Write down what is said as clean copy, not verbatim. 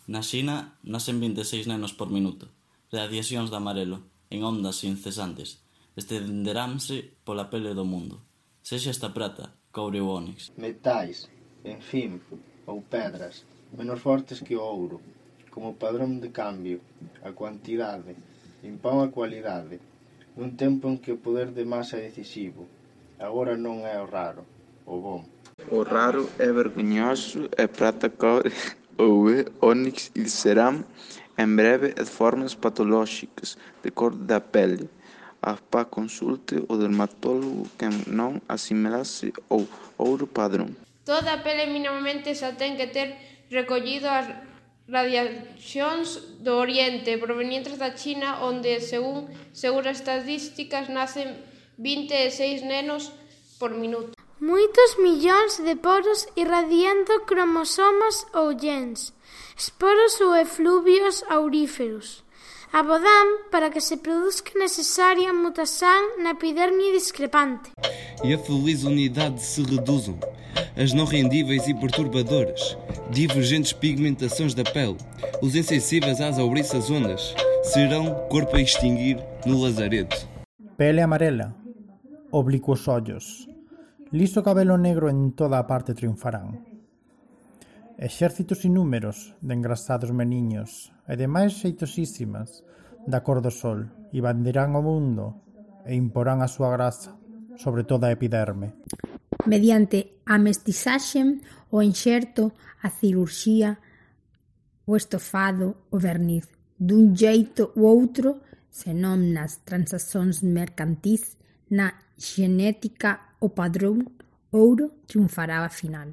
Na Xina nacen 26 nenos por minuto, radiacións de amarelo, en ondas incesantes, estenderanse pola pele do mundo, sexa esta prata, coure ou ónix. Metais, en fin, ou pedras, menos fortes que o ouro, como padrón de cambio, a cuantidade, impón a cualidade, nun tempo en que o poder de masa é decisivo. Agora non é o raro, o bom. O raro é vergonhoso, é prata, coure ou é ónix e serán en breve de formas patolóxicas de cor da pele. A pa consulte o dermatólogo que non asimilase ao ouro padrón. Toda a pele minimamente xa ten que ter recollido as radiacións do Oriente provenientes da China, onde, según seguras estatísticas, nacen 26 nenos por minuto. Moitos millóns de poros irradiando cromosomas ou gens, esporos ou efluvios auríferos. Abodan para que se produzca necesaria mutação na epiderme discrepante. E a feliz unidade se reduzam as não rendíveis e perturbadoras, divergentes pigmentações da pele, os insensíveis às ouriças ondas, serão corpo a extinguir no lazareto. Pele amarela, oblíquos ollos, liso cabelo negro en toda a parte triunfarán. Exércitos inúmeros de engrasados meniños e demais xeitosísimas da cor do sol invadirán o mundo e imporán a súa grasa sobre toda a epiderme. Mediante a mestizaxe, o enxerto, a cirurxía, o estofado, o verniz, dun xeito ou outro, senón nas transaccións mercantís, na xenética, o padrón ouro triunfará a final.